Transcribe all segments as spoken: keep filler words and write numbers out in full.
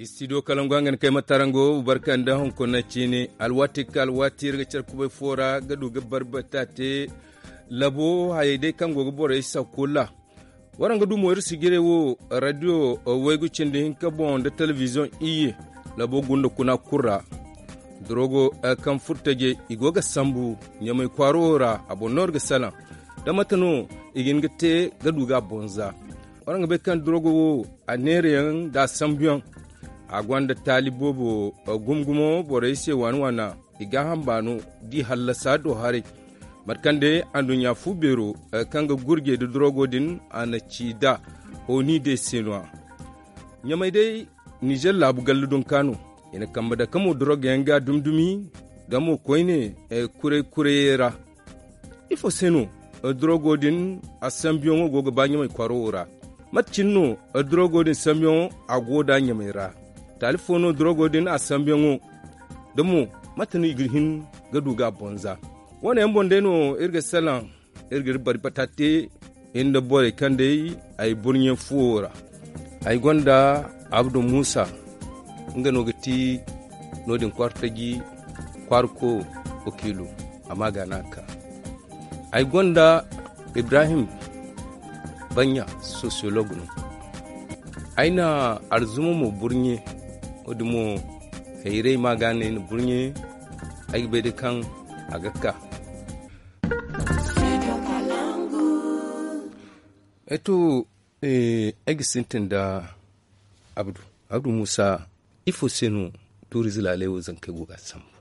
Studio kalangu hangan kay ma tarango barka nda hunkuna ciini alwaati ka alwaati iri ga care kubay fo ra ga du ga barbata te. Labo hayey day kaŋ go ga borey sakula. Waraŋ ga du mo iri sijirey wo radio waygu cindi hinka boŋ nda telebiziyoŋ iyye. Labo gunda kuna kulu ra. Dorogo kaŋ furo tajey i go ga sambu ɲamay kwaaro wo ra a boŋ no iri ga salaŋ. Da mate no i ga hin ga te ga du ga a boŋ za. Waraŋ ga bay kaŋ dorogo wo a neerayaŋ nda a sambuyaŋ. A gonda taali boobo gumo-gumo borey se waana-waana. I gaaham baano d'i hallasa do haray. Mate kaŋ day anduɲɲa fu beero kaŋ ga gurjey nda dorogo din a na ci nd'a. Oni day se no-ya ɲamay day nizer laabu gallu dunka no. I na kambe dake mo dorogo yaŋ ga dumi-dumi. Nga mo koyne kuray-kurayey ra. Ifo se no dorogo din a sambuyaŋo go ga ba ɲamay kwaaro wo ra? Mate cine no dorogo din sambuyaŋo a go nd'a ɲamay ra? Taali fo no dorogo din a sambuyaŋo? Da mo mate no i ga hin ga du ga a boŋ za? Wo- ne yaŋ boŋ day no iri ga salaŋ. Iri ga iri bari bata te iri nda borey kaŋ day ay burɲe fuwo ra. Ay gonda abdu muusa. Nga no ga ti no- din kwaara taji kwaara ko wakiilo. Amma ga no a ka ay gonda ibrahim baɲɲa sosiyolog no. Ay na arzuma mo burɲe. Wo- din mo hayray ma ga no ay na burɲe. Ay ga bay day kaŋ a ga ka. Eto ay ga sintin nda abdu. Abdu muusa, ifo se no tuurize laaley wo zankey go ga a sambu?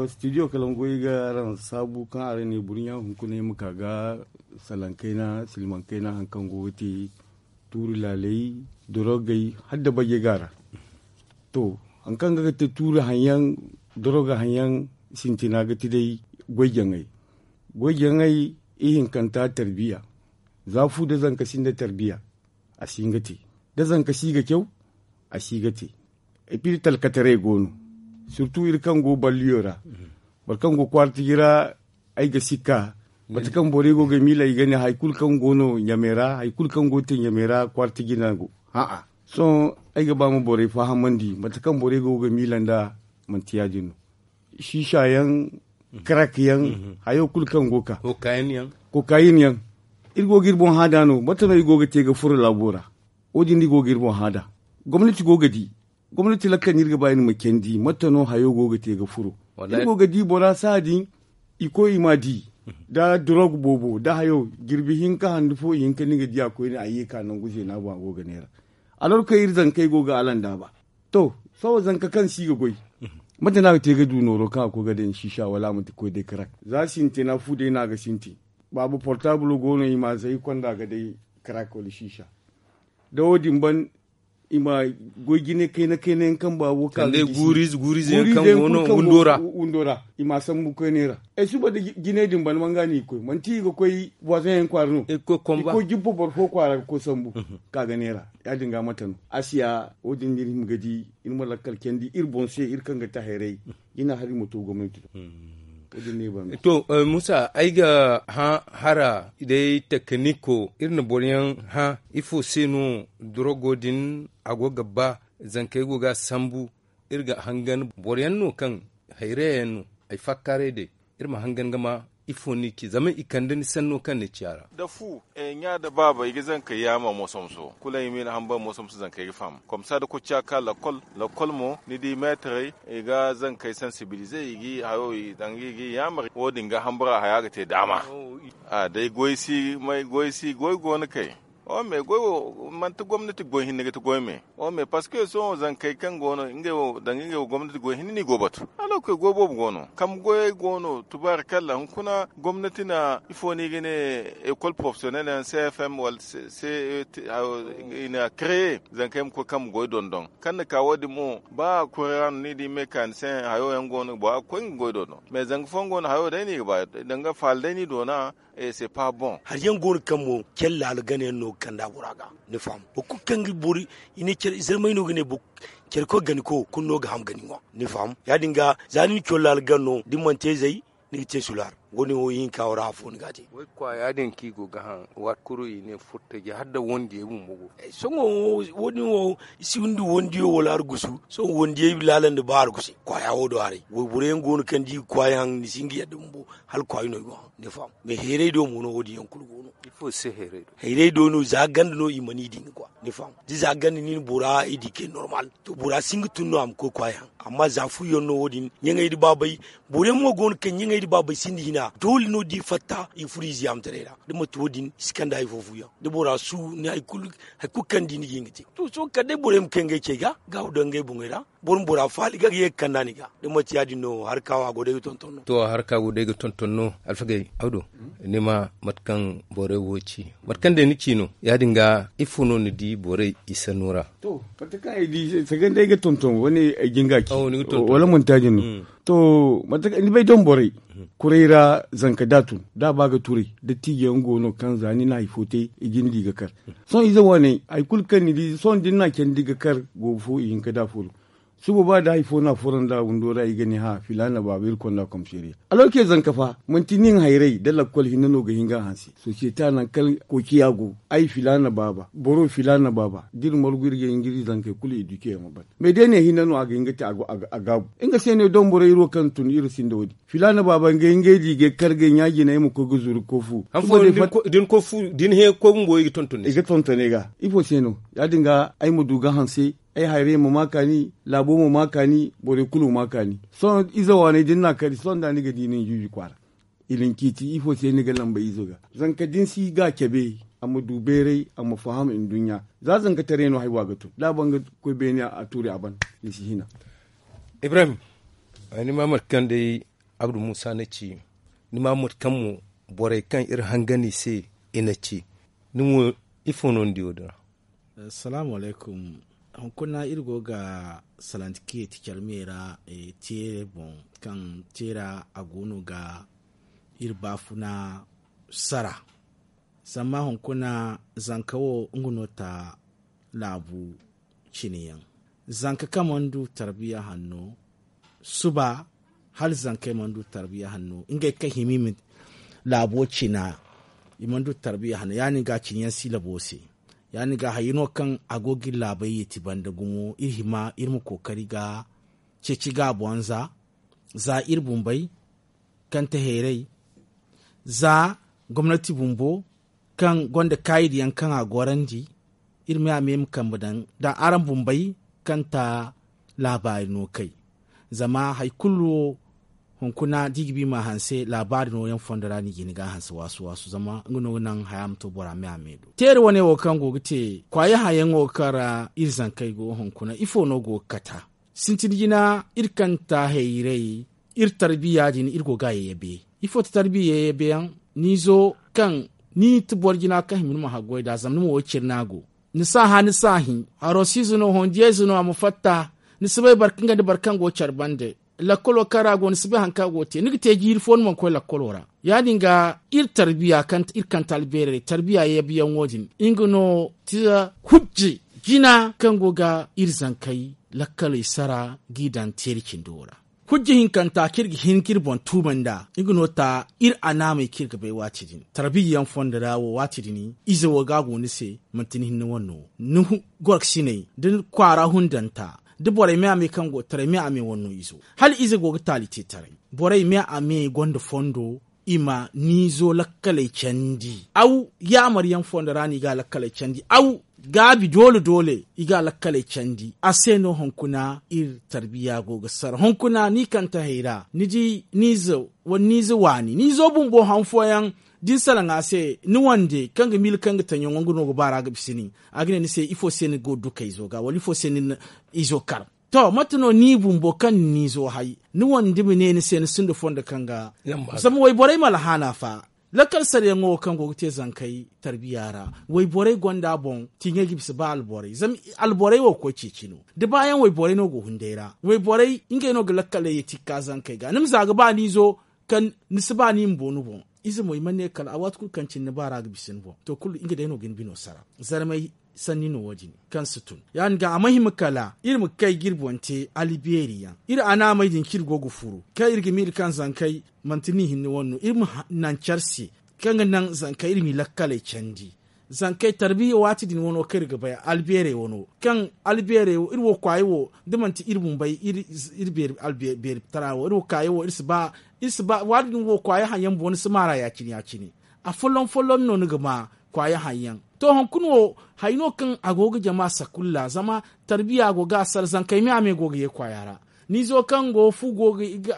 Studio kalangu ay ga araŋ saabu kaŋ araŋ ne burɲa hunkuna ay ma ka ga salaŋ kayna silmaŋ kayna hari kaŋ go ga te tuuri laaley, dorogey, hala da bajey go a ra. To, hari kaŋ ga ga te tuuri haŋ yaŋ, doroga haŋ yaŋ, sintina ga ti day goy jaŋay. Goy jaŋay ihinkanta tarbiya. Za fu nda zanka sinda tarbiya, a si hin ga te. Da zanka si ga caw, a si ga te. Epiri talkataray go no. Surtu iri kaŋ go balliyo ra, boro kaŋ go kwaara tiji ra, ay ga sikka. Mate kaŋ borey go ga miila i ga ne hari kulu kaŋ go no ɲamey ra, hari kulu kaŋ go ga te ɲamey ra kwaara tiji no a go. Sohõ ay ga ba ma borey fahamandi mate kaŋ borey go ga miila nd'a. Manti ya- din no. Siisa yaŋ, karak yaŋ, hayo kulu kaŋ go ga ka. Kokayin yaŋ. Iri go ga iri boŋ hã nd'a no mate no i go ga te ga furo laabo ra? Wo- din no i go ga iri boŋ hã nd'a. Gomnati go ga di. Gomnati lakkal no iri ga ba iri ma candi mate no hayo go ga te ga furo? Iri go ga di bora saha din. I koy i m'a di. Da dorog boobo da hayo jirbi hinka handu fo i hinka no i ga di a koyne a ye ka nangu zeena boŋ a go ga neera. Alor kaŋ iri zankey go ga alandaaba. To, sohõ zanka kaŋ si ga goy, mate no a ga te ga du nooro kaŋ a koy ga daŋ siisa wala a manti koy day karak? Za sintina fu day no a ga sintin. Baaba portaabul go no i m'a zay konda ga day karak wala siisa. Da wo- din ban, i ma goy jine kayna kayna yaŋ kaŋ baabo ka ga gisi. Guuriize guuriize yaŋ kaŋ go no windo ra. I m'a sambu koyney ra. Ay suba da jine din ban manga no i ga koy manti i ga koy boizoŋ yaŋ kwaara no? I ga koy jibbo boro fo kwaara ga koy sambu. Ka ga neera. Ya- din ga mate no a si ya wo- din no iri hima ga di. Iri ma lakkal candi iri boŋ se iri kaŋ ga te hayray. Jina hari ma to gomnati do. To, muusa ay ga hã hara day tekiniko iri na boro yaŋ hã ifo se no dorogo din a go ga ba? Zankey go ga a sambu. Iri ga hangan boro yaŋ no kaŋ hayray yaŋ no ay fakkaaray day. Iri ma hangan ga ma ifo no i ci zama i kande ni sanno kaŋ ni ci a ra. Da fu ɲa nda baaba i ga zankey yaama moso-moso kulu ay ma i na hambar moso-moso zankey ga faham komsa da kocca ka lakkol. Lakkol mo ni di meetarey i ga zankey sansibilize i ga i hayo i danga i ga i yaamar wo- din ga hambara haya ga te daama. Day goy si may goy si goy go no kay. Wo me goy wo manti gomnati goy hinne ga ti goy me. Wo me parceque sohõ zankey kaŋ go no ngey wo danga ngey wo gomnati goy hinne no i go batu. Alorka goy boobo go no kambe goyey go no tubaari kalla hunkuna gomnati na ifo no i ga ne? Ecole professionnelle yaŋ cfm wala ce i na kreye zankey ma koy kambe goy dondon kaŋ na ka wo- din mo ba kuri ra no ni di mekanisiyeŋ hayo yaŋ go no bora ga koy nga goy dondon. Mais zanga fooyaŋ go no hayo day no i ga ba danga faala day no i doona. Hari yaŋ go no kaŋ mo care laalo gana yaŋ no ga kand'a bora ga. Ni faham boro kulu kaŋ ga boro i ne care zarmay no ga ne care koy gani ko kulu no ga ham gani ŋwa. Ni faham ya- din ga za ni na care laalo gana no da ni mana te zay ni ga te sulaar. Wo- din wo ihinka wo ra afo ni ga a te. Kwaaya din kaŋ i go ga haŋ waati kulu i ne furtaji hala nda wandiyey bumbo go. Sohõ wo- din wo i si windi wandiyo wala argusu sohõ wandiyey laala nda ba argusu kwaaya wo do haray wayboro yaŋ go no kaŋ da i ga kwaaya haŋ ni si hin ga yadda bumbo. Hala kwaayi no i go haŋ ni faham. Mais heeray do mo no wo- din yaŋ kulu go no. Ifo se heeray do? Heeray do no za ganda no i mana i di ni kwa ni faham. Da za ganda ni na bora i di kay normal to bora si hin ga tun no a ma koy kwaaya haŋ. Amma za fu yaŋ no wo- din ɲaŋey nda baabay. Boro yaŋ mo go no kaŋ ɲaŋey nda baabay sinda hina doole no da i fatta i ga furo i ziyaamataray ra. Da manti wo- din i si kand'a ifo fu yaŋ da bora su ni hari kulu kaŋ ni di ni ga hin ga te. To sohõ kala day boro yaŋ ma kay ngey cey ga gaabu daŋ ngey boŋey ra. Boro ma bora faali ga ga ye ga kand'a ni ga. Da manti ya- din no harka wo a go day ga tonton no. To harka go day ga tonton no. Alfagey awdo, ni ma mate kaŋ borey wo ci mate kaŋ day ni ci no ya- din ga ifo no ni di borey i sanno ra? To mate kaŋ ay di sanda ay ga tonton wane ay ga hin ga a ci wala manti ya- din no. To mate kaŋ ni bay daŋ borey kuray ra zanka da a tun da a ba ga turay dattijo yaŋ go no kaŋ za ni na hari fo te i ga ni di ga kar. Sohõ ize waaney hari kulu kaŋ ni di sohõ da ni na a candi ga kar goobu fo i hinka da a furo. Suba ba da hari fo no a furo nd'a windo ra i ga ne hã filaana baaba iri konda komseriya. Alorke zanka fa manti nin hayray nda lakkol hinne no ga hin ga a hanse sosiyete a nangu kaŋ koociya go. Ay filaana baaba boro filaana baaba da iri margu iri ga hin ga iri zankey kulu eduke yaŋo ban. Mais day ne hinne no a ga hin ga te a gaabu nga se no i daŋ borey iri wo kaŋ tun iri sinda wo- din filaana baaba ngey ngey da i ga ay kar ga ay ɲaa jina ay ma koy ga zuru ga koy fu. Da ni he ga koy bumbo i ga tonton ni se i ga tonton ay ga. Ifo se no ya- din ga ay ma du ga hanse ay hayray ma ma kaani laabo ma ma kaani borey kulu ma ma kaani. Sohõ ize waaney da ni na a kari sohõ da ni ga di nin juuji kwaara. I na ni ciiti ifo se ni ga lamba izo ga? Zanka da ni si ga a cabe a ma du bayray a ma faham nduɲɲa. Za zankataray no haya wo a ga tun da a ban ga koy beene a tuuri a ban. Ni si hina. Ibrahim, ni ma mate kaŋ day abdu muusa na ci. Ni ma mate kaŋ mo borey kaŋ iri hangan i se i na ci. Ni mo ifo no ni di wo- din ra? Salaamu alaykum. Hunkuna iri go ga salanti kiyeti care me ra teere boŋ kaŋ teera a go no ga iri baafuna sara. Zama hunkuna zanka wo nga no ta laabu cine yaŋ. Zanka kaŋ mana du tarbiya hanno suba hala zankey mana du tarbiya hanno ngey kaŋ hima i ma laabo cina. I mana du tarbiya hanno ya- din ga cine yaŋ si labo se. Ya- din ga hayey no kaŋ a go ga iri laabey yeeti banda gumo iri hima iri ma kookari ga ceeci ga a boŋ za za iri bumbey kaŋ te hayray za gomnati bumbo kaŋ gonda kaayidi yaŋ kaŋ a gorandi. Iri me a me ma kambe daŋ da araŋ bumbey kaŋ ta laabaari no kay. Zama hari kulu wo hunkuna da i ga ba i ma a hanse laabaari no yaŋ fondo ra no i ga hin ga a hanse waasu waasu zama nga no ga naŋ haya ma to bora me a me do teeri wane wo kaŋ go ga te kwaayi hayaŋo kaŋ ra iri zankey go hunkuna ifo no go ga kata? Sintin jina iri kaŋ ta hayray iri tarbiya din iri go ga a yayyabe. Ifo ti tarbiya yayyabe yaŋ? Ni izo kaŋ ni ti boro jina kaŋ hima ni ma haggoy nd'a zama ni ma wo cire no a go. Ni si a hã ni si a hin haro si ize no hondiya ize no a ma fatta. Ni si bay boro kaŋ ga ni boro kaŋ go care bande lakkolo kaŋ ra a go ni si bay hari kaŋ a go ga te ni ga te jiiri fo ni mana koy lakkolo ra. Ya- din ga iri tarbiya kaŋ ti iri kaŋ ti albeerey tarbiya yayyabe yaŋo din nga no ti hujje jina kaŋ go ga iri zankey lakkaley sara g'i daŋ teeri cindo ra. Hujja hinkanta kaŋ iri ga hin ga iri boŋ tuumay nd'a nga no ta iri anaamey kaŋ iri ga bay waati din tarbiya yaŋ fondo ra wo waati din ize wo ga a go ni se manti ni hinne wane no ni gorokasiney da kwaara hundanta da borey me a me kaŋ go taray me a me wane no izo hala ize go ga taali te taray. Borey me a me gonda fondo i ma niizo lakkaley candi aw yaamar yaŋ fondo ra no i ga a lakkaley candi aw gaabi doole doole i ga a lakkaley candi a se no hunkuna iri tarbiya go ga sara hunkuna ni kaŋ ta hayra ni di niizo wala niizo waani niizo bumbo han fooyaŋ da ni salaŋ a se ni wande kaŋ ga miila kaŋ ga taŋ yaŋo nga no ga ba ra ga bisa nin a ga ne ni se ifo se ni go ga du kayzo ga wala ifo se ni na izo kar? To mate no ni bumbo kaŋ ni n'izo hay ni wande ma ne ni se ni sinda fondo kaŋ ga zama wayborey ma alhaana fa. Lakkal sarayaŋo wo kaŋ go ga te zankey tarbiya ra wayborey gonda boŋ ti ɲey ga bisa ba alborey zama alborey wo ga koy ceeci no da baayaŋ wayborey no go hunday ra wayborey ngey no ga lakkaley ye tikka zankey ga ni ma za ga ba n'izo kaŋ ni si ba ni ma boonu boŋ. Ize mo i mana ne kala a waati kulu kaŋ cine ni baara ga bisa ni boŋ to kulu nga day no ga ni bino sara. Zarmey Sanni no wo- din kaŋ si tun ya- din ga a ma hima kala iri ma kay ga iri boŋ te albeeri yaŋ iri a naamey din kaŋ iri go ga furu kaŋ iri ga miila kaŋ zankey manti ni hinne wane no iri ma naŋ care se kaŋ ga naŋ zankey iri m'i lakkaley candi. Zankey tarbiya waati din wano kaŋ iri ga bay albeerey wano kaŋ albeerey wo iri wo kwaayey wo da manti iri bumbey iri beeri tara wo iri wo kwaayey wo iri si ba waati din wo kwaayey haŋ yaŋ bumbo ni si maar'a ya- cine ya- cine. Afolloŋ folloŋ no ni ga ma kwaayey haŋ yaŋ. To hunkuna wo hari no kaŋ a go ga jama sakulla zama tarbiya go ga a sara zankey me a me go ga ye kwaaya ra. Ni izo kaŋ go fu go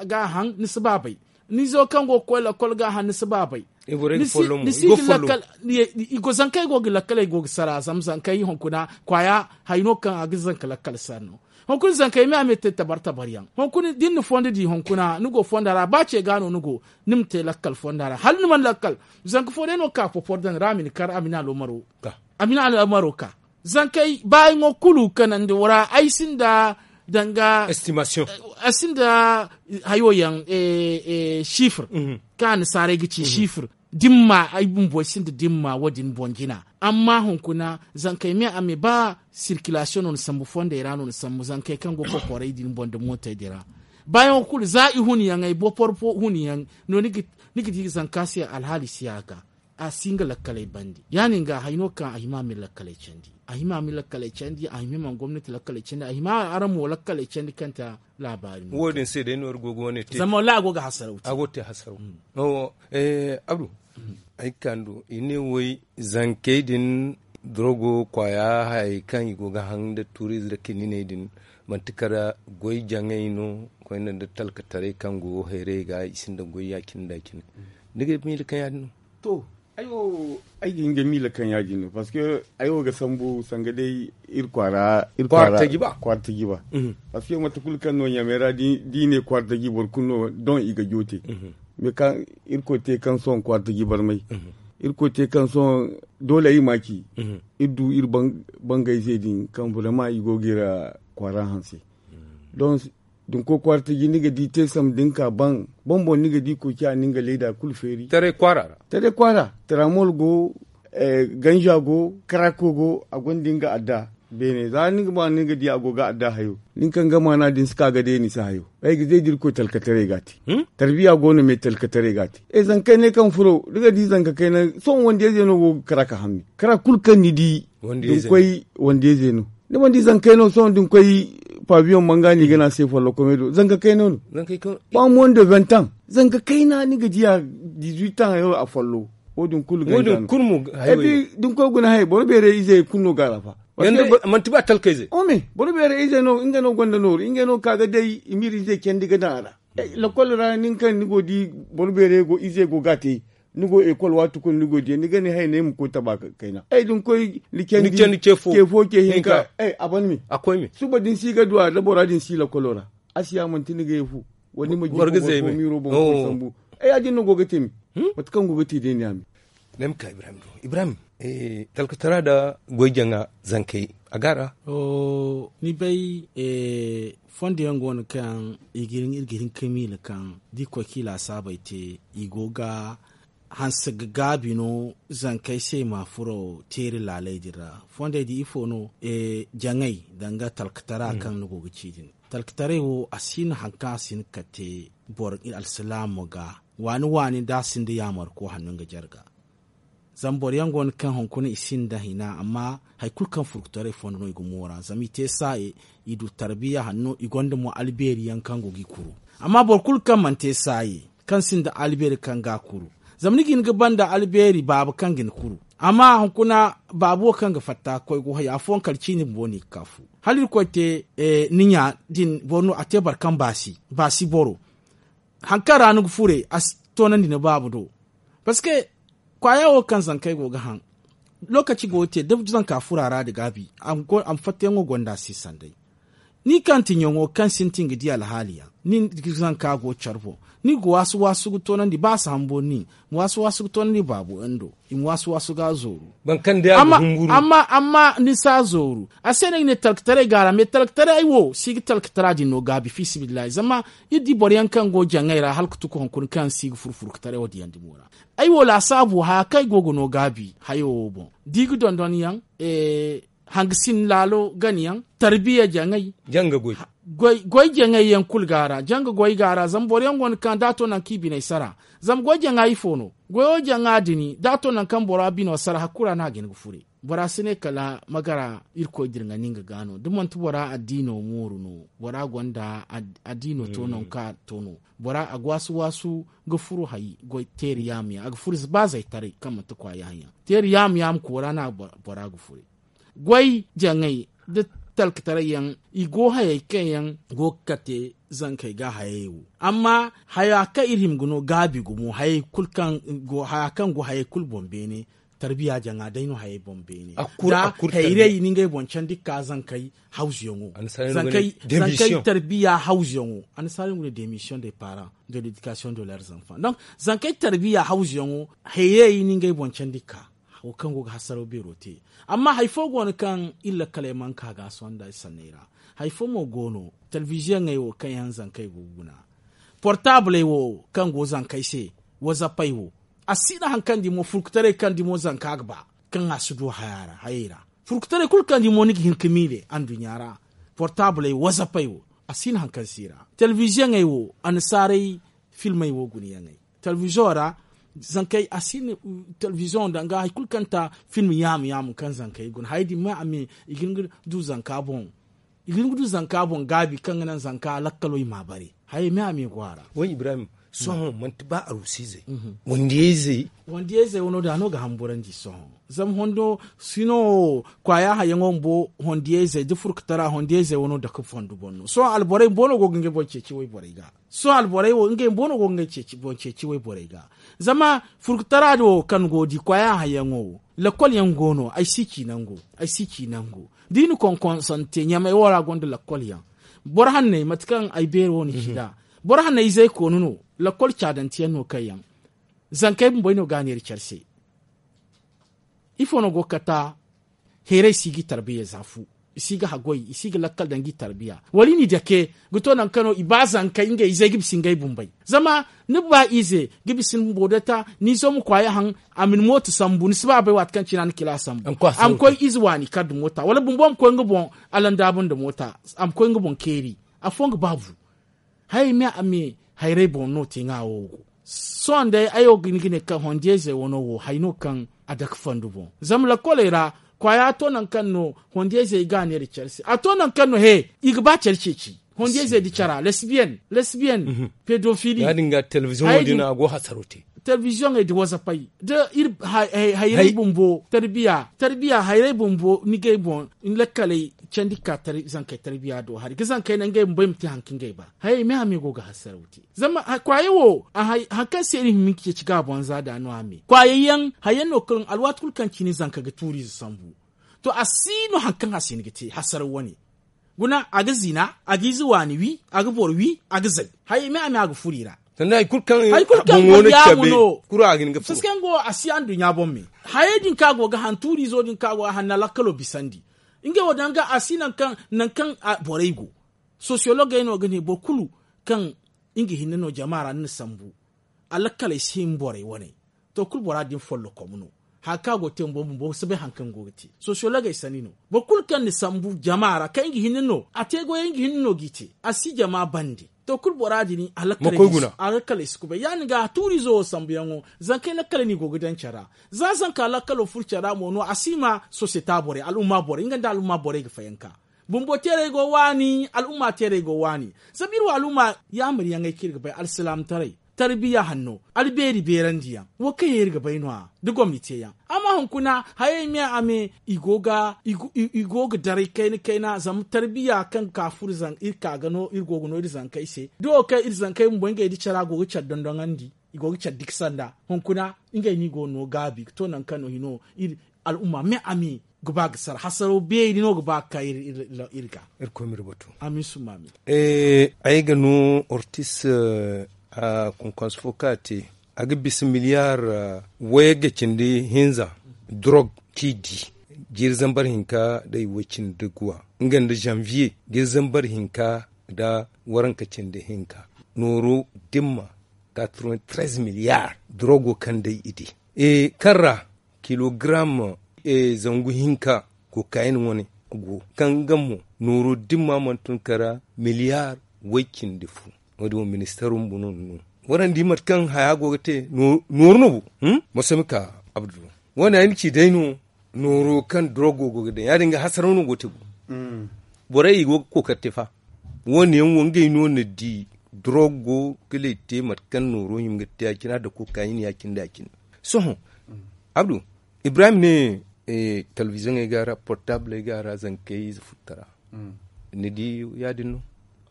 ga a haŋ ni si ba bay. Ni izo kaŋ go ga koy lakkol ga a haŋ ni si ba bay. Ni si ga lakkal. I go zankey go ga lakkaley go ga sara zama zankey hunkuna kwaaya hari no kaŋ a ga zanka lakkal sara no. Hunkuna zankey me a me te tabar tabar yaŋ hunkuna da ni na fondo di hunkuna ni go fonda ra ba ce ga no ni go ni ma te lakkal fonda ra hala ni mana lakkal. Zanka fo day no ga ka popor daŋ ra a ma ni kar a ma ni aloomaro ka. Zankey baayaŋo kulu kanandi ra ay sinda danga estimation. Ay sinda hayo yaŋ sifir kaŋ annasaarey ga ci sifir. Dimma ay bumbo ay sinda dimma wo- din boŋ jina. Amma hunkuna zankey me a me ba sirkilasiyoŋ no ni sambu fondey ra no ni sambu zankey kaŋ go kokoray din boŋ nda mootey din ra. Baayaŋo kulu za i huniyaŋey bopor fo huniyaŋ no ni ga di zanka se alhaali si a ga a si nga lakkaley bandi ya- din ga hari no kaŋ a hima a ma iri lakkaley candi. A hima a ma iri lakkaley candi a hima i mana gomnati lakkaley candi a hima araŋ mo lakkaley candi kaŋ te laabaari no wo- din se day no iri go ga wane te zama wallahi a go ga hasaraw te a go ga te hasaraw. Abdu ay ga ka ni do i ne way zankey din dorogo kwaaya hayey kaŋ i go ga haŋ nda tuuriize nda kininey din manti kala goy jaŋay no koyne nda talkataray kaŋ go hayray ga i sinda goy ya- cine nda ya- cine. Ni ga miila kaŋ ya- din no? To ay wo ay ga hin ga miila kaŋ ya- din no parceque ay wo ga sambu sanga day iri kwaara iri kwaara taji ba. Kwaara taji ba. Parceque mate kulu kaŋ no ɲamey ra da i ne kwaara taji boro kulu no don i ga joote. Mais kaŋ irkoy te kaŋ sohõ kwaara taji barmay irkoy te kaŋ sohõ doole ay ma ci. Iri du iri bangayzey din kaŋ vraiment i go ga iri kwaara hanse. Donc da ni koy kwaara taji ni ga di te sambu da ni ka ban boŋ boŋ ni ga di koy ciya ni nga leeda kulu feeri taray kwaara ra. Taray kwaara taramol go ganza go karako go a gonda nga adda. Beene za ni ga ba ni ga di a go ga adda hayo nin kaŋ ga maana din si ka ga day ni si hayo. Ay ga zay da irkoy talkataray ga a te. Tarbiya go no me talkataray ga a te. E zankayne kaŋ furo ni ga di zanka kayna sohõ wandiyayze no go ga kara ka hamni kara kulu kaŋ ni di da ni koy wandiyayze no. Ni mana di zankayno sohõ da ni koy pabiyoŋ manga no i ga ne a se follokomey do zanka kayna no. Ba mondo vingt ans zanka kayna ni ga di a dizuit ans hayo a follo. Wo- din kulu ganza no. Da ni koy guna hay boro beeray izey kulu no ga a ra fa. Manti ba talkayze. Ome boro beeray izey no nga no gonda nooru ngey no ga ka ga day i ma iri izey candi ga daŋ a ra. Lakkol ra nin kaŋ ni go di boro beeray go izey go ga a te. Ni go ekol waati kulu ni go di ni ga ne hay ne ay ma koy taba kayna ay da ni koy ni candi ce fo ce hinka. A ban me suba da ni si ga du a da bora da ni si lakkolo ra. A si ya manti ni ga ye fu wala ni ma ji boro ga zay me. Miiro boŋ koy sambu ay ya- din no go ga te me. Mate kaŋ go ga te day ne a me. Ay ma ka ibrahim do ibrahim talkatara nda goy jaŋa zankey a ga a ra. Ni bay fondo yaŋ go no kaŋ i ga hin ka miila kaŋ da i koy ka i laasaabey te i go ga hanse ga gaabi no zankey se i ma furo teeri laaley din ra. Fondey da ifo no jaŋey danga talkatara kaŋ ni go ga ci din. Talkataray wo a si hin hari kaŋ a si hin ka te boro alsilaamo ga waani waani da a sinda yaamarko hanno nga jarga. Zama boro yaŋ go no kaŋ hunkuna i sinda hina amma hari kulu kaŋ furkutaray fondo no i ga moora zama i te saaye. I du tarbiya hanno i gonda mo albeeri yaŋ kaŋ go ga i kuru. Amma boro kulu kaŋ mana te saaye kaŋ sinda albeeri kaŋ ga a kuru. Zama ni ga hin ga banda albeeri baaba kaŋ ga ni kuru. Amma hunkuna baaba wo kaŋ ga fatta ga koy ga hay afooyaŋ kala ciini bumbo no i ga ka fu hala irkoy te ni ɲa din boro no a te boro kaŋ baasi baasi boro. Hari kaŋ ra ni ga fure a si toonandi ni baaba do. Parceque kwaaya wo kaŋ zankey go ga haŋ lookaci go ga te da zanka furo a ra nda gaabi a ma fattayaŋo gonda a se sanday. Ni kaŋ ti ɲaŋo kaŋ sintin ga di alhaali yaŋ, ni ga zanka go care boŋ. Ni ga waasu waasu ga toonandi ba a si hambo ni ma waasu waasu ga toonandi baabo yaŋ do. I ma waasu waasu ga a zooru. Amma ni si a zooru a se no ay ga ne talkataray gaara me talkataray wo si ga talkatara din no gaabi fiisabilillahi zama iri di boro yaŋ kaŋ go jaŋay ra hala ga tuku hunkuna kaŋ si ga furu furkataray wo diyaŋ dumo ra. Ay wo laasaabu haya kaŋ ay go ga no gaabi hayo wo boŋ da i ga dondon yaŋ hangasin laalo gana yaŋ tarbiya jaŋay. Goy jaŋay yaŋ kulu ga a ra janga goy ga a ra zama boro yaŋ go no kaŋ da a to nangu kaŋ i biney sara. Zama goy jaŋa ifo no? Goyo jaŋa din da a to nangu kaŋ bora bino sara hakkura no a ga hin ga fure. Bora si ne kala magara irkoy dira nga nin ga ga no da manti bora addiino mooru no. Bora gonda addiino to nangu kaŋ a to no. Bora a ga waasu waasu ga furu hari goy teeri yaamu yaŋ a ga furu ba zaytaray kaŋ manti kwaayaŋ yaŋ. Teeri yaamu yaamu koora no a bora ga furu goy jaŋay da talkataray yaŋ. I go hayey kaŋ yaŋ go ga kate zankey ga hayey wo. Amma haya kaŋ iri hima ga no gaabi gumo haya kaŋ go hayey kulu boŋ beene. Tarbiya jaŋa day no hayey boŋ beene. Hayray i na ngey boŋ candi ga ka zankey hawzuyaŋo. Zankey tarbiya hawzuyaŋo annasaara yaŋ go no demission de paran de ledikasiyoŋ de ler zanfan donk zankey tarbiya hawzuyaŋo. Hayray i na ngey boŋ candi ga ka wo kaŋ go ga hasaraw beero te. Amma hari fo go no kaŋ iri lakkaley mana ka ga a sohõ nda ay sanney ra. Hari fo mo go no telebiziyoŋey wo kaŋ yaŋ zankey go ga guna portaabley wo kaŋ go zankey se. Wazappey wo a si no hari kaŋ dimo furkutaray kaŋ dimo zanka ga ba kaŋ a si du hayey ra. Furkutaray kulu kaŋ dimo ni ga hin ga miile anduɲɲa ra portaabley wazappey wo a si no hari kaŋ si ra. Telebiziyoŋey wo annasaaray filmey wo gunayaŋey telebiziyoŋ ra zankey a si no telebiziyoŋ danga hari kulu kaŋ ta film yaamu yaamu kaŋ zankey guna hayey din me a me i ga hin ga du zanka boŋ. I ga hin ga du zanka boŋ gaabi kaŋ ga naŋ zanka lakkalo i m'a bare. Hayey me a me go a ra. Sohõ manti ba arusiizey wandiyayzey wandiyayzey wano da no ga hamburandi sohõ. Zama hondo sino wo kwaaya hayaŋo bumbo wandiyayzey da furkatara wandiyayzey wano dake fondu boŋ no sohõ alborey bumbo no go ga ngey boŋ ceeci wayborey ga. Sohõ alborey wo ngey bumbo no go ga ngey ceeci boŋ ceeci wayborey ga. Zama furkatara din wo kaŋ ni go ga di kwaaya hayaŋo wo lakkol yaŋ go no ay si ci nango. Ay si ci nango da i na konkonsante ɲamey wo ra gonda lakkol yaŋ. Boro hanney mate kaŋ ay beeri wo ni ci nd'a boro hanney izey koonu no. Lakkol caadanteyaŋ no kaŋ yaŋ zankey bumbo ay no ga a neera care se. Ifo no go ga kata? Heeray si ga i tarbiya za fu. I si ga haggoy i si ga lakkal daŋ ga i tarbiya wala i n'i dake ga to nangu kaŋ no i ba zankey ngey izey ga bisa ngey bumbey. Zama ni ba ize ga bisa ni bumbo day ta ni izo ma kwaaya haŋ. A ma ni mooto sambu ni si ba a bay waati kaŋ cine a na kila sambu. A ma koy ize waani kar nda moota wala bumbo ma koy nga boŋ alandaabu nda moota. A ma koy nga boŋ keeri. Afooyaŋ ga ba bu. Hayey me a me hayray boŋ no te ŋwa wo go. Sohõ day ay wo ga hin ga ne kaŋ hondiyaizey wano wo hari no kaŋ a dake fondu boŋ. Zama lakkoley ra kwaaya to nangu kaŋ no hondiyaizey ga a neera care se a to nangu kaŋ no he i ga ba care ceeci. Hondiyaizey da cara lesbiyen lesbiyen pedofili. Ya- din ga telebiziyoŋo din a go hasaro te. Telebiziyoŋey da wazapey da iri hayray bumbo tarbiya tarbiya hayray bumbo ni gay boŋ ni lakkaley candi ga ka zankey tarbiya do hari ga zankey naŋ ngey bumbo ay ma te hari kaŋ ngey ba. Hayey me a me go ga hasaraw te zama kwaaye wo hari kaŋ se iri hima ga ceeci ga a boŋ za da no a me kwaaye yaŋ hari yaŋ no kaŋ alwaati kulu kaŋ cine zanka ga tuuri ize sambu. To a si no hari kaŋ a si hin ga te hasaraw wane. Guna a ga zina a ga ize waani wi a ga boro wi a ga zay. Hayey me a me a ga furo i ra. Sanda hari kulu kaŋ boŋ wo no cabe kulu a ga hin ga furo. Saskango a si anduɲɲa boŋ me. Hayey din kaŋ a go ga han tuuri izo din kaŋ a go ga han na lakkalo bisandi. Ngey wo danga a si nangu kaŋ borey go. Sosiyologey no ga ne boro kulu kaŋ nga hinne no jama ra ni na sambu. Alakkaley si hin borey wane. To kulu bora din follokom no. Hari kaŋ a go ga te bumbo bumbo si bay hari kaŋ go ga te sosiyologey sanni no. Boro kulu kaŋ na sambu jama ra kaŋ nga hinne no a te goyey nga hinne no g'i te a si jama bande. To kulu bora din alakkaley si kubay ya- din ga tuuriizo wo sambuyaŋo. Zankey lakkaley no i go ga daŋ care ra. Za zanka lakkalo furo care ra mo no a si ma sosiyeta borey al'umma borey nga nda al'umma borey ga fayanka. Bumbo teerey go waani al'umma teerey go waani. Zama iri wo al'umma yaamaryaŋey kaŋ iri ga bay alsilaamataray, tarbiya hanno, albeeri beerandiyaŋ, wo kaŋ yaŋ iri ga bay no- ya da gomni teeyaŋ. Amma hunkuna hayey me a me i go ga daray kayna kayna zama tarbiya kaŋ ga ka furo iri ka ga no iri go ga no iri zankey se da wo kaŋ iri zankey bumbo ngey da cara go ga care dondoŋandi. i go ga care diksa nda hunkuna. Ngey no i go no gaabi ga to nangu kaŋ no hino iri al'umma me a mi ga ba ga sara hasaro beeri no ga ba ga ka iri ga. Amin summa amin. Ay ga no ortis a konkonso fo kaŋ a te a ga bisa miliyar wayagga cindi hinza drog kaŋ i di jiiri zambar hinka da i way cindi guwa nga nda zanviye jiiri zambar hinka da waranka cindi hinka nooro dimma katrevin trez miliyar drogo kaŋ day i di kaŋ ra kilogram zangu hinka kokayin wane go kaŋ nga mo nooro dimma mana tun kara miliyar way cindi fu. Wo- din wo ministaro bumbo no ni no warandi mate kaŋ haya go ga te nooru no bo. Masami ka abdu wo- ne ay na ci day no nooro kaŋ drogo go ga daŋ ya- din ga hasaraw no go ga te gumo. Borey i go ga kookari te fa wo- ne yaŋ wo ngey no na di drogo kala i te mate kaŋ nooro hima ga te ya- cine a dako ka i na ya- cine da ya- cine. Sohõ abdu ibrahim ne telebiziyoŋey ga a ra portabley ga a ra zankey ize futtara ni di ya- din no?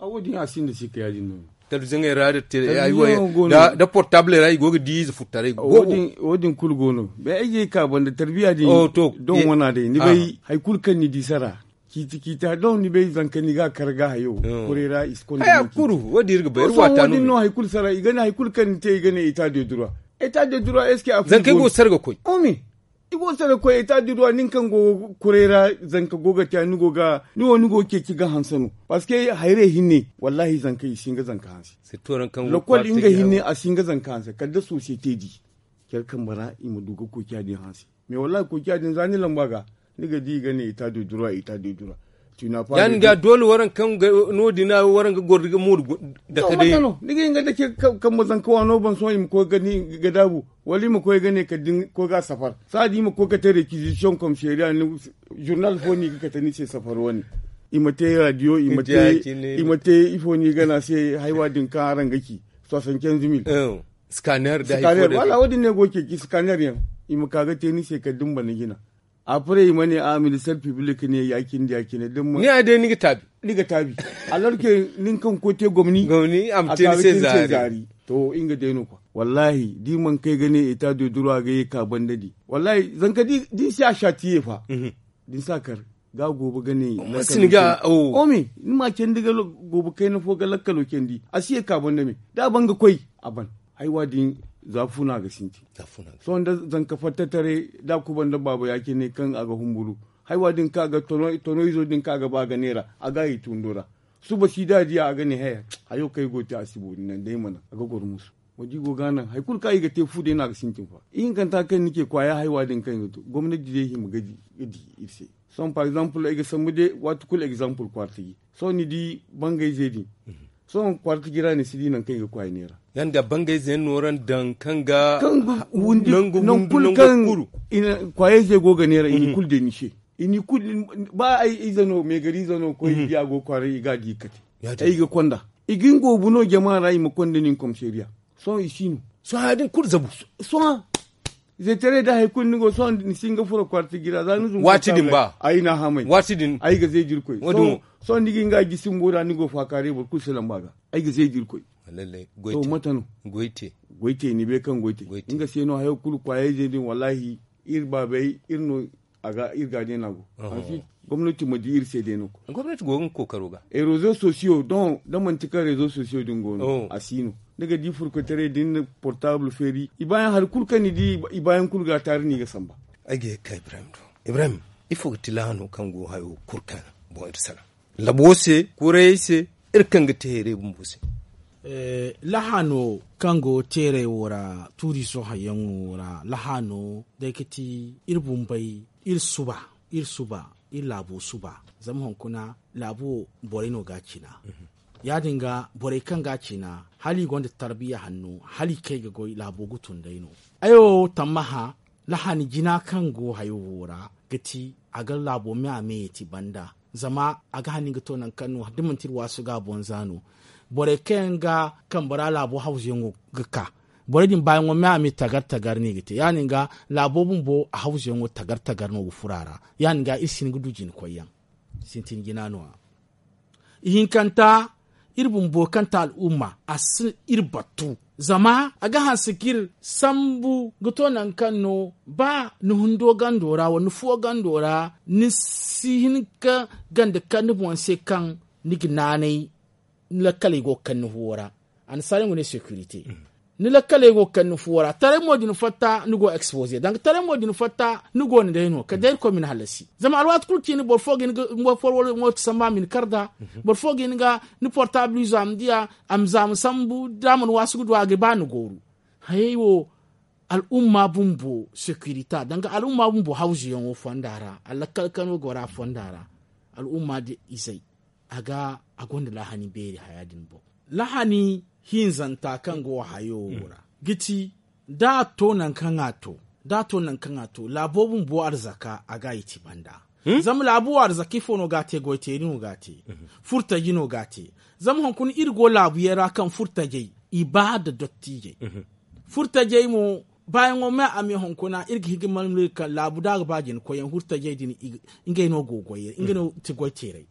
A wo- din a sinda sikka ya- din no. Telebiziyoŋey ra da portabley ra i go ga di ize futtaray wo- din kulu go no. Ay ga ay ka banda tarbiya din don wana day ni bay hari kulu kaŋ ni di sara ciiti ciiti don ni bay zanka ni ga a kar ga hayo kuray ra i si konda. Kuru wo- din iri ga bay iri waata no hay kulu sara i ga ne hari kulu kaŋ ni te i ga ne eta de dura eta de dura est ce que a furo zankey go ga sara ga koy. I go sara koy eta de dura nin kaŋ go ga kuray ra zanka go ga te ni go ga ni wo ni go ga ceeci ga hanse no. Parceque hayrey hinne wallahi zanka i si hin ga zanka hanse. Lokol nga hinne a si hin ga zanka hanse kala da sosiyete di care kambe ra i ma du ga koy ca din hanse. Mais wallahi koy ca din za ni lamba ga ni ga di i ga ne eta de dura eta de dura. Ya- din ga doole waranka kaŋ no- din a waranka goro ga mooru dake day. Ni ga hin ga dake kambe zanka waano boŋ sohõ i ma koy ga daabu wala i ma koy ga ne kala da ni koy ga a safar saadi i ma koy ga te rekizisiyoŋ komisariya ni zurnal fo no i ga kate ni se safar wane. I ma te radiyo i ma te ifo no i gana se haywa din kaŋ araŋ ga ci soixante quinze mille. Skaner da hari fo da wala wo- din no ay go ga ceeci skaner yaŋ i ma ka ga te ni se kala da ni bana jina. Après i ma ne a minister piblik ne ya- cine da ya- cine da ni ma ne a day ni ga taabi. Ni ga taabi. Alors que nin kaŋ ga koy te gomni a ma te ni se zaari. To nga day no kwa wallahi da i mana kay ga ne eta de dura ga ye ka banda di wallahi zanka da ni si a satiye fa da ni si a kar ga a goobo ga ne. Ni ma candi ga goobo kayna fo ga lakkalo candi a si ye ka banda me da a ban ga koy a ban. Haywa din za fu no a ga sintin. Sohõ da zanka fatta taray da a kuba nda baaba ya- cine kaŋ a ga humburu haywa din kaŋ a ga tono izo din kaŋ a ga ba a ga neera a ga a i tundo ra. Suba si da a diya a ga ne he hayo kaŋ ay go ga te a si boori naŋ day mana a ga goro musu. Wo- din go ga naŋ hari kulu kaŋ i ga te fu day no a ga sintin fa. Ihinkanta kaŋ ni ce kwaaya haywa din kaŋ i ga to gomnati day hima ga di iri se. Sohõ par exemple ay ga sambu day waati kulu exemple kwaara taji. Sohõ ni di bangayze din sohõ kwaara taji ra ni si di nangu kaŋ i ga kwaaya neera. Ya- din ga bangayze yaŋ nooran daŋ kaŋ ga nangu hundu nangu kulu kwaayayze go ga neera i na kulu day ni se. I na i kulu ba ay ize no meegari ize no koy biya go kwaaray i ga a di ga kate. Ay ga konda i ga nga wo bu no jama ra i ma konda nin komisariya. Sohõ i si no sohõ ya- din kulu zabu. Sohõ zetaray da hari kulu ni go sohõ ni si nga furo kwarti jira za ni zumbu waati din ba ay na hamay waati din ay ga zay jirkoy. Sohõ ni ga nga gisi mbo ra ni go faakaaray boro kulu si lamba ga ay ga zay jirkoy. To mate no goy te ni bay kaŋ goy te nga se no hayo kulu kwaayayze din wallahi iri baabay iri no. A ga iri ga day no a go. Gomnati ma di iri se day no. Gomnati go ga nga kookaro ga. Rezo sosiyo don da manti kaŋ rezo sosiyo din go no a si no. Ni ga di furkotaray din na portable feeri i baayaŋ hari kulu kaŋ ni di i baayaŋ kulu ga a taari no i ga samba. Ay ga ye ga ka ibrahim do ibrahim ifo ga ti laahano kaŋ go hayo kulu kaŋ boŋ iri sara labo se kurayey se iri kaŋ ga te hayray bumbo se. Laahano kaŋ go teeray wo ra tuuriiso hayyaŋo ra laahano day ga ti iri bumbey iri suba iri suba iri laabo suba. Zama hunkuna laabo wo borey no ga a cina. Ya- din ga borey kaŋ ga a cina hala i gonda tarbiya hanno hala i kay ga goy laabo ga tun day no. Ay wo tammaha lahani jina kaŋ go hayo wo ra ga ti a ga laabo me a me ya ti banda. Zama a ga hani ga to nangu kaŋ no da manti iri waasu ga a boŋ za no. Borey kaŋ yaŋ ga kambe ra laabo hawzuyaŋo ga ka borey din baayaŋo me a me tagar tagar no i ga te ya- din ga laabo bumbo a hawzuyaŋo tagar tagar no ga furo a ra. Ya- din ga iri si hin ga du jina koyyaŋ sintin jina no- ya. Ihinkanta iri bumbo kaŋ ti al'umma a si iri battu. Zama a ga hanse ga iri sambu ga to nangu kaŋ no ba ni hundo gando ra wala ni fuwo gando ra, ni si hin ga ganda kaŋ ni boŋ se kaŋ ni ga naanay ni lakkaley go ga kaŋ ni fuwo ra. Annasaara yaŋ go ne securité. Ni lakkaley go ga kaŋ ni fuwo ra taray mo da ni fatta ni go exposer danga taray mo da ni fatta ni go ni day no kala day irkoy ma ni hallasi. Zama alwaati kulu ciini boro fo ga hin ga mooti sambu a ma ni kar nd'a. Boro fo ga hin ga ni portable izo a ma di a, a ma za a ma sambu da a mana waasu ga du a ga ba ni gooru. Hayey wo al'umma bumbo securité danga al'umma bumbo hawzuyaŋo fonda ra, alakkal kano go ra fonda ra. Al'umma da izey a ga a gonda lahani beeri haya din boŋ. Lahani hinzanta kaŋ go hayo wo ra ga ci da a to nangu kaŋ a to da a to nangu kaŋ a to laabo bumbo arzaka a ga a yi ci banda. Zama laabu wo arzaka ifo no ga a te goy teeri no ga a te. Furtaji no ga a te. Zama hunkuna iri go laabu yaŋ ra kaŋ furtajey i ba nda dottijey. Furtajey mo baayaŋo me a me hunkuna iri ga hin ga malmala iri kaŋ laabu da a ga ba jina koyyaŋ furtajey din ngey no go goyey ngey no ti goy teeray.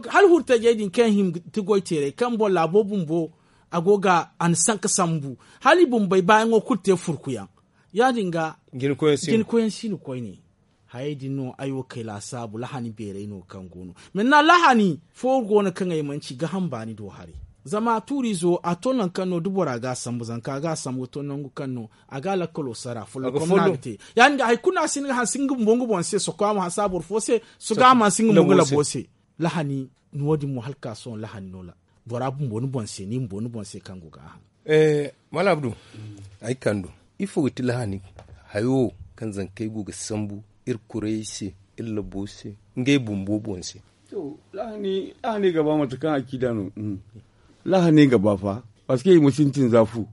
Hala furtajey din kaŋ yaŋ hima ga ti goy teeray kaŋ boro laabo bumbo a go ga a na sanka sambu hala i bumbey baayaŋo kulu te furkuyaŋ. Ya- din ga jina koyyaŋ si no koyne. Hayey din no ay wo kay laasaabu lahani beeray no kaŋ go no. Minna lahani fo go no kaŋ ay mana ci gaham baani do haray. Zama tuuriizo a to nangu kaŋ no da bora ga a sambu zanka ga a sambu ga to nangu kaŋ no a ga a lakkalo sara follokom no a ga te. Ya- din ga hari kulu no a si hin ga hanse nga bumbo nga boŋ se soko a ma hanse a boro fo se. Soga a ma hanse nga mo nga labo se. Lahani no- din mo hala ka sohõ lahani no la bora bumbo ni boŋ se ni bumbo ni boŋ se kaŋ go ga a haŋ. Malam abdu, ay kando ifo ga ti lahani hayo kaŋ zankey go ga sambu iri kurayey se iri labo se ngey bumbo boŋ se? Lahani ga ba mate kaŋ a ci da no. Lahani ga ba fa. Parce que i ma sintin za fu.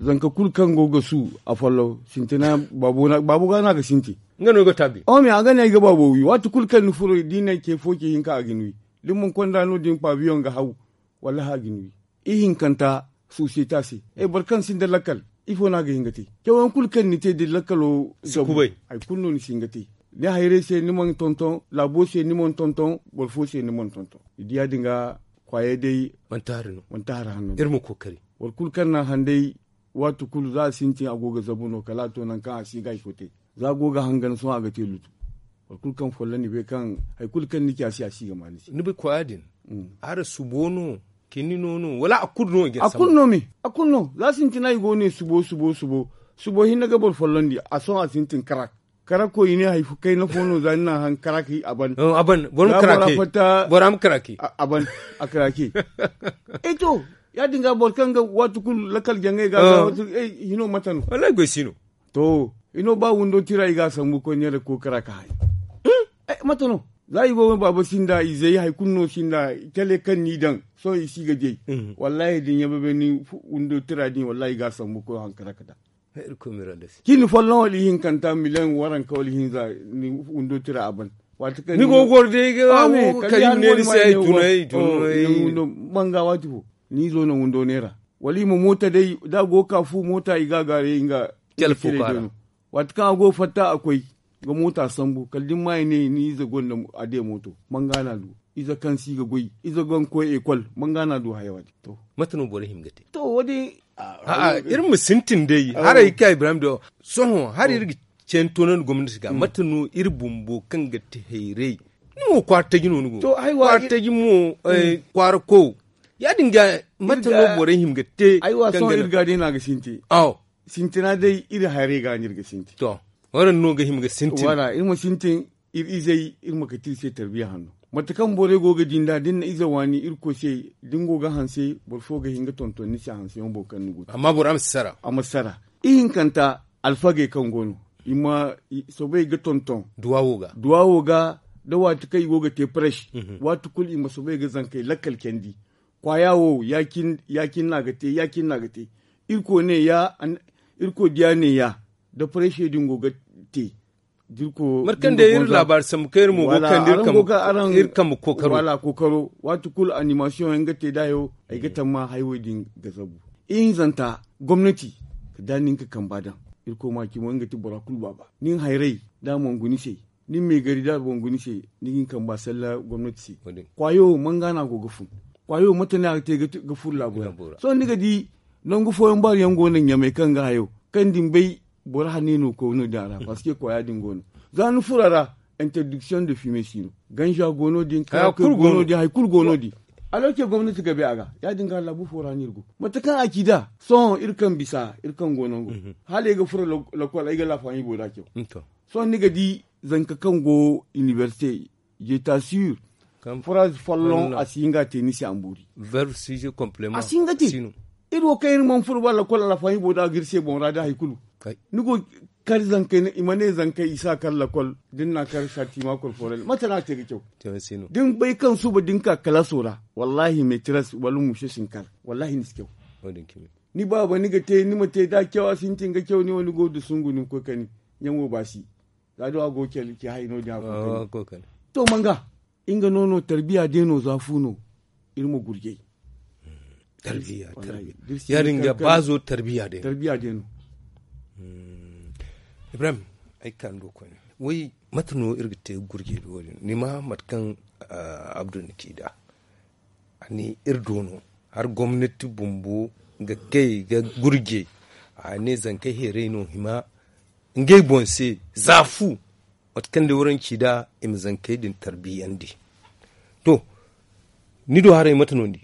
Zanka kulu kaŋ go ga su a follow sintina baabo ga no a ga sintin. Nga no i ga taabi. Ome a ga ne ay ga baabo wi waati kulu kaŋ ni furo da i ne ce fo ce hinka a ga ni wi. Da ni mana konda no- din paabiyoŋ ga haw. Wallahi a ga ni wi. Ihinkanta sosiyete se. Boro kaŋ sinda lakkal ifo no a ga hin ga te? Cawayaŋ kulu kaŋ ni te da lakkalo si kubay. Hari kulu no ni si hin ga te. Ni hayray se ni mana tonton laabo se ni mana tonton boro fo se ni mana tonton. Ni di ya- din ga kwaayey day. Manti hari hanno. Boro kulu kaŋ na handay waati kulu za a sintin a go ga zabu no kala a to nangu kaŋ a si ga hari fo te. Za a go ga hangan sohõ a ga te lutu. Boro kulu kaŋ folloŋ ni bay kaŋ hari kulu kaŋ ni ci a se a si ga ma ni se. Ni bay kwaaya din? Araŋ subo no? Kini no no wala a kulu no i ga sambu a kulu no me. A kulu no za sintina i go ne subo subo subo. Subo hinne ga boro folloŋ di a sohõ a sintin karak. Karako i ne hari fo kayna fo no za ni na haŋ karaki a ban. A ban boro ma karaki. Boro ma karaki. A ban a karaki. Ay to ya- din ga boro kaŋ ga waati kulu lakkal jaŋay ga hino mate no? Wallahi goy si no. To hino ba windo tira i ga a sambu koy neera kookara ka hay. Mate no? Za i go baaba sinda izey hari kulu no sinda. Cale kaŋ ni daŋ sohõ i si ga di ay. Wallahi da ni ɲababe ni windo tira din wallahi i ga a sambu koy hankara ka daŋ. Cindi folloŋ wala ihinkanta miliyaŋ waranka wala ihinza. Ni windo tira a ban. Waati kaŋ ni go ga goro day ga wo karim ne ni se ay tunay tunay. Manga waati fo ni izo no windo neera. Wala i ma moota day da a go ga ka fu moota i ga a gaaray nga. Waati kaŋ a go ga fatta a koy ga moota sambu kala da ni ma i ne ni ize gonda a de mooto. Manga no a du ize kaŋ si ga goy ize gonda ga koy ekol. Manga no a du haya wo- din to. Mate no borey hima ga te? To wo- din. Iri ma sintin day haray ga ka ibrahim do. Sohõ hari iri ga ceen toonandi gomnati ga mate no iri bumbo kaŋ ga te hayray? Ni mo kwaara taji no ni go kwaara taji mo. Kwaara kow ya- din ga mate no borey hima ga te? Aywa sohõ iri ga day no a ga sintin. Awo sintina day iri hayray ga no iri ga sintin. To waraŋ no ga hima ga sintin wala iri ma sintin. Iri izey iri ma kate iri se tarbiya hanno. Mate kaŋ borey go ga di nd'a da ni na ize waani irkoy se da ni go ga hanse boro fo ga hin ga tonton ni se hanseyaŋo boŋ kaŋ ni go te. Amma bora ma si sara. A ma si sara. Ihinkanta alfagey kaŋ go no i ma soobay ga tonton duwawo ga da waati kaŋ i go ga te prêche. Waati kulu i ma soobay ga zankey lakkal candi. Kwaaya wo ya- cine no a ga te ya- cine no a ga te. Irkoy ne ya irkoy diya ne ya da prêche din go ga te. Mate kaŋ day iri laabaari sambu kaŋ iri mo go ga kande iri kambe kookaro. Wala kookaro waati kulu animasiyoŋ yaŋ ga te da hayo ay ga tamma hayo din ga zabu. Ihinzanta gomnati kala da nin ga kamba daŋ. Irkoy ma cimo nga ti bora kulu baaba nin hayray da a mana guna ni se nin meegari da a mana guna ni se ni ga hin kamba salla gomnati se. Kwaayo manga no a go ga fun? Kwaayo mate no a ga te ga furo laabo ra? Sohõ ni ga di Nangu fooyaŋ baaru yaŋ go no ɲamay kaŋ ga hayo kaŋ din bay boro hanno no koy no din a ra parce que kwaya din go no. Za ni furo a ra, interdiction de fume si no. Ganja go no din karakoy go no din hari kulu go no din. Alorke gomnati ga bay a ga ya- din ga laabu fo ra no iri go. Mate kaŋ a ci nd'a sohõ iri kaŋ bisa iri kaŋ go nango, hala ay ga furo lakwal ay ga laafaani booda caw. Sohõ ni ga di zanka kaŋ go inibersite, jeta sur, furaaz folloŋ a si hin ga a te ni se a ma boori. A si hin ga te. Iri wo kaŋ iri mana furo ba lakwal alfahibo da ga iri se boŋ ra da hari kulu. Ni go kar zankey i ma ne zankey i si a kar lakwal da ni na a kar sarti ma korforel mate no a te ga caw? Da ni bay kaŋ suba da ni ka kalaaso ra, wallahi metres wala muse si ni kar. Wallahi ni si caw. Ni baaba ni ga te ni ma te da a caw a sintin ga caw ni wo ni go ga dusungu ni ma koy kani. Ɲaŋo baasi za da a go ga care care hari no- din a go ga kani. To manga nga no no tarbiya day no za fu no. Iri ma gurjay. Tarbiya. Ya- din ga baazo tarbiya day no. Ibrahim, ay ga ka ni do koyne. Way mate no iri ga te ga gurjay da wo- din ni ma mate kaŋ abdu ni ci nd'a. A ne iri do no hari gomnati bumbo ga kay ga gurjay. A ne zankey heeray no hima ngey boŋ se za fu. Mate kaŋ day waranci nd'a i ma zankey din tarbiyandi. To, ni do haray mate no ni di?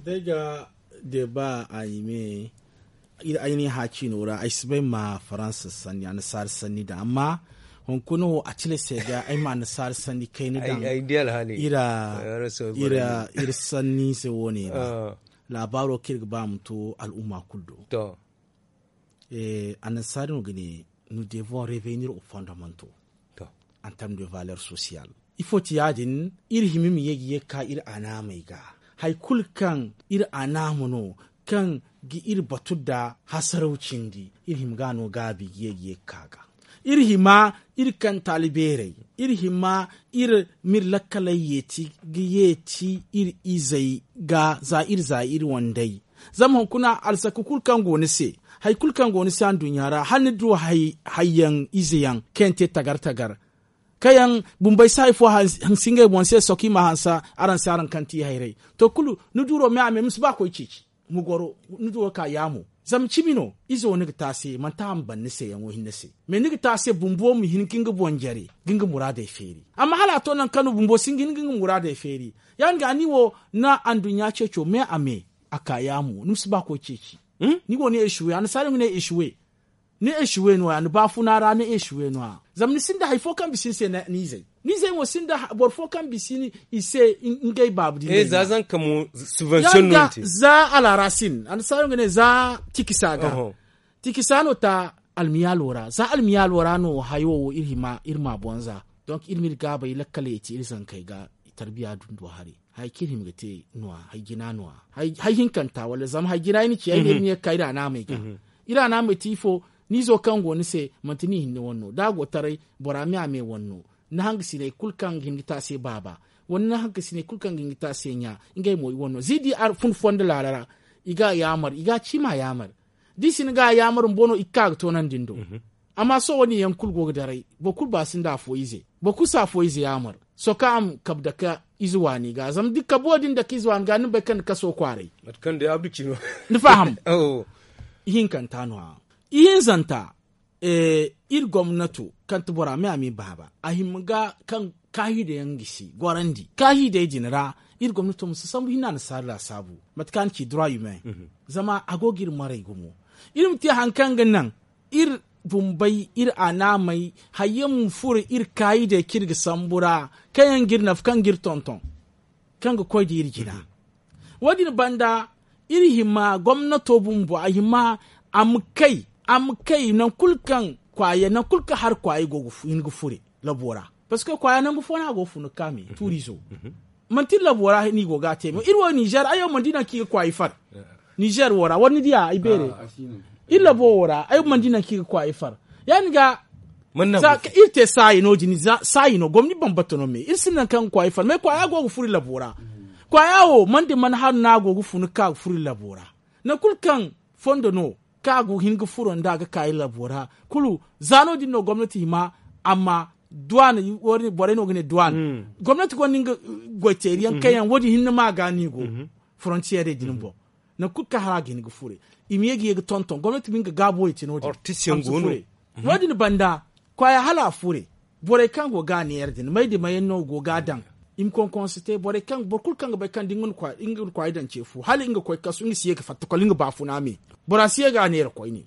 Da ay ga deeba a i me iri ay ne hã ciino ra ay si bay ma faransa sanni annasaara sanni daŋ amma hunkuna wo a cire se ga ay ma annasaara sanni kayna daŋ. Iri sanni se wo- ne ra laabaaro kaŋ iri ga ba ma to al'umma kulu do. Annasaara no ga ne, nous devons revenir au fondamental. En terme de valeur sociale ifo ti ya- din? Iri hima ma ye ga ye ga ka iri anaamey ga hari kulu kaŋ iri anaama no kaŋ ga iri batu nda hasaraw cindi iri hima ga a no gaabi ga ye ga ye ga ka ga. Iri hima iri kaŋ taali beerey iri hima iri ma iri lakkaley yeeti ga yeeti iri izey ga za iri za iri wandey. Zama hunkuna alzaka kulu kaŋ go ni se hari kulu kaŋ go ni se anduɲɲa ra hala ni du hayyaŋ ize yaŋ kaŋ yaŋ te tagar tagar kaŋ yaŋ bumbey si hari fo hansi ngey boŋ se soki ma hansa araŋ se araŋ kaŋ ti hayray. To kulu ni duuro me a me ma si ba koy ceeci ma goro ni duuro ka yaamo. Zama cimi no izo ni ga te a se manti a ma ban ni se yaŋo hinne se. Mais ni ga te a se bumbo ma hin ga nga boŋ jare ga nga muraadey feeri. Amma hala a to nangu kaŋ no bumbo si hin ga nga muraadey feeri. Ya- din ga ni wo na anduɲɲa ceeco me a me a ka yaamo ni ma si ba koy ceeci. Ni go ni esuwe annasaara yaŋ ga ne esuwe. Ni esuwe no- ya ni baafuna ra ni esuwe no- ya. Zama ni sinda hari fo kaŋ bisa ni se ni izey ni izey mo sinda boro fo kaŋ bisa i se ngey baabu din. Za zanka mo subvention no ni te. Za alarasin annasaara yaŋ ga ne za tikisa ga. Tikisa no ta almiyaalo ra za almiyaalo ra no hayo wo iri ma boŋ za. Donk iri ma iri gaabey lakkaley te iri zankey ga tarbiya dundo haray. Hari kaŋ iri hima ga te no- ya hari jina no- ya hari hinkanta wala zama hari jina iri na ci ay ma iri ma ye ga ka iri anaamey ga. Iri anaamey te ifo ni izo kaŋ go ni se manti ni hinne wane no da a go taray bora me a me wane no. Ni hangasiney kulu kaŋ ga hin ga te a se baaba wala ni hangasiney kulu kaŋ ga hin ga te a se ɲa ngey mo i wane no za i di fun fondo laala ra. I ga a yaamar i ga a ci ma a yaamar da i si ni ga a yaamar bumbo no i ga ka ga toonandi ni do. Amma sohõ wo- din yaŋ kulu go ga daray boro kulu ba sinda afo ize boro kulu si afo ize yaamar. Sohõ kaŋ a ma kabu dake ize waani ga zama da kabu wo- din dake ize waani ga ni ma bay kaŋ ni kaso kwaaray. Ni faham? Ihinkanta no- ya ihinzanta iri gomnato kaŋ ti bora me a ma i baaba a hima ga kaŋ kaahiidayaŋ ga si gorandi kaahiidey din ra. Iri gomnato ma si sambu hinne annasaara laasaabu mate kaŋ a na ci droit humain. Zama a go ga iri maray gumo iri ma te hari kaŋ ga naŋ iri bumbey iri anaamey hayyaŋ ma furo iri kaayiidey kaŋ iri ga sambu ra kaŋ yaŋ ga iri nafa kaŋ ga iri tonton kaŋ ga koy da iri jina. Wo- din banda iri hima gomnato bumbo a hima a ma kay a ma kay nangu kulu kaŋ kwaaya nangu kulu kaŋ hari kwaayey go ga hin ga fure labo ra. Parce que kwaaya nangu fo no a go ga funu ga ka me tuurizo. Manti iri labo ra no i go ga a te me iri wo ninzeer ay wo mana di nangu kaŋ i ga kwaayey far. Ninzeer wo ra wala ni diya ay beere iri labo wo ra ay wo mana di nangu kaŋ i ga kwaayey far. Ya- din ga iri te saayi no- din saayi no gomni bambata no me iri sinda nangu kaŋ ga kwaayey far me kwaaya go ga furo iri labo ra. Kwaaya wo mana di mana haru no a go ga funu ga ka ga furo iri labo ra. Nangu kulu kaŋ fondo no kaŋ a go ga hin ga furo nda a ga ka iri labo ra kulu. Za no- din no gomnati hima amma duwaana borey no ga ne duwaana gomnati gonda nga goyteeri yaŋ kaŋ yaŋ wo- din hinne ma a ga no i go forontiyeerey din boŋ. Nangu kulu kaŋ hala a ga hin ga fure, i ma ye ga ye ga tonton gomnati ma nga gaabo ya te no- din. Wo- din banda, kwaaya hala a fure. Borey kaŋ go ga a neera din may da may yaŋ no go ga a daŋ. I ma konkonse te boro kulu kaŋ ga bay kaŋ da nga na kwaayey daŋ ce fo hala nga koy kasu nga si ye ga fatta kol nga baafuna me. Bora si ye ga a neera koyne.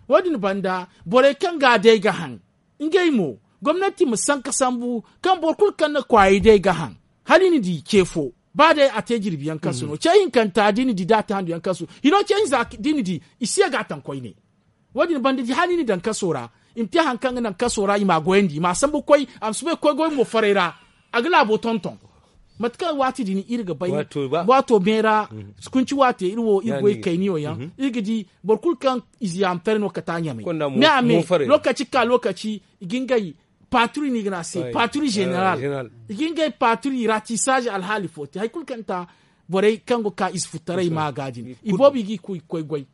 Wo- din banda, borey kaŋ ga a day ga haŋ, ngey mo, gomnati ma sanka sambu kaŋ boro kulu kaŋ na kwaayey day ga haŋ. Hala i na di ce fo, ba day a te jirbi yaŋ kaŋ si no ce hinkanta da i na di da a te handu yaŋ kaŋ si no hino ce hinza da i na di, i si ye ga a taŋ koyne. Wo- din banda da i hana i na daŋ kaso ra, i ma te hari kaŋ ga naŋ kaso ra i m'a goyandi i m'a sambu ga koy. A ma si bay ga koy goy mo faray ra. A ga laabo tonton. Mate kaŋ waati din iri ga bay, waato me ra, sukunci waate iri wo iri goy kayniyo yaŋ iri ga di, boro kulu kaŋ ize yaamataray no kate a ɲamay. Me a me, lokaci ga ka lokaci, i ga ngey paaturi no i ga ne a se paaturi zeneral. I ga ngey paaturi ratisaaze alhaali fo te hari kulu kaŋ ta, borey kaŋ go ga ka ize futtaray ma ga din i boobo i ga i koy goy.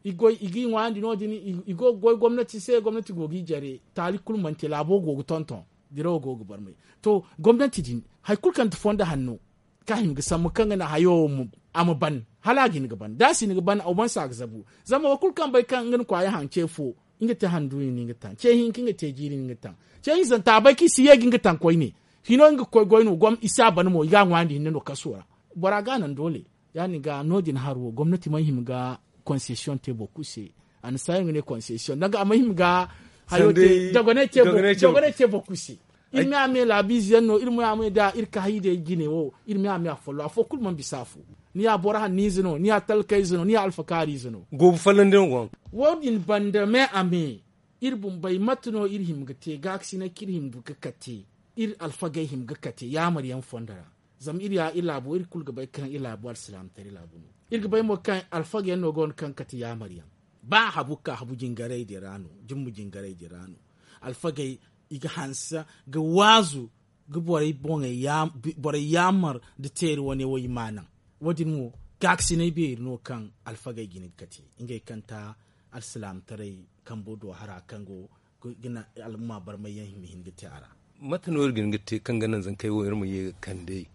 I ga i ŋwaayandi no- din. I go ga goy gomnati se gomnati go ga i jare taali kulu mana te laabo go ga tonton. Dirawo go ga barmay. To, gomnati din hari kulu kaŋ ti fondo hanno, kaŋ a hima ga sambu kaŋ ga naŋ hayo wo a ma ban, hala a ga hin ga ban da a si hin ga ban a wamansa ga zabu. Zama wo kulu kaŋ bay kaŋ nga na kwaaya haŋ ce fo, nga te handu ni nga taŋ ce hinka nga te jiiri ni nga taŋ. Ce hinzanta a bay kaŋ i si ye ga nga taŋ koyne. Hino nga ga koy goy no gom i si a ban mo i ga a ŋwaayandi hinne no kaso ra. Bora ga a naŋ doole. Ya- din ga no- din hari wo gomnati mana hima ga konsesiyoŋ te boro kulu se. A na saayaŋ ga ne konsesiyoŋ danga a mana hima ga hayo te dogonay te boro kulu se. Iri me a me laabiize yaŋ no iri me a me da iri ka hay day jine wo. Iri me a me a follo afo kulu mana bisa afo. Ni ya boro hanniize no ni ya talkayze no ni ya alfakaariize no. Goobu follandi no go haŋ. Wo- din banda me a me, iri bumbey mate no iri hima ga te gaakasinay kaŋ iri hima ga kate, iri alfagey hima ga kate yaamar yaŋ fondo ra. Zama iri ya iri laabo iri kulu ga bay kaŋ iri laabo alsilaamataray laabo no. Iri ga bay mo kaŋ alfagey yaŋ no go no kaŋ ga kate yaamar yaŋ. Ba habu ga ka habu jingaray din ra no, jumma jingaray din ra no. Alfagey i ga hanse ga waazu ga borey boŋey yaamar nda teeri wane wo i m'a naŋ. Wo- din mo gaakasinay beeri no kaŋ alfagey jina ga kate ngey kaŋ ta alsilaamataray kambo do hara kaŋ go ga naŋ al'umma barmay yaŋ ma hin ga te a ra. Mate no iri ga hin ga te kaŋ ga naŋ zankey wo iri ma ye ga kande?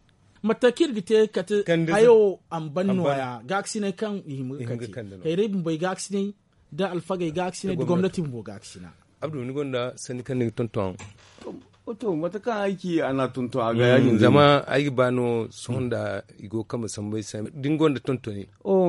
Mate kaŋ iri ga te ga kate hayo wo a ma ban nooya gaakasinay kaŋ i hima ga kate. Hayray bumbey gaakasinay, da alfagey gaakasinay da gomnati bumbo gaakasina. Abdu ni gonda sanni kaŋ ni ga tonton? To, mate kaŋ ay ci a n'a tonton a ga ya- din zama ay ga ba no sohõ nda i go ga kambe sambu ay se da ni gonda tontoni.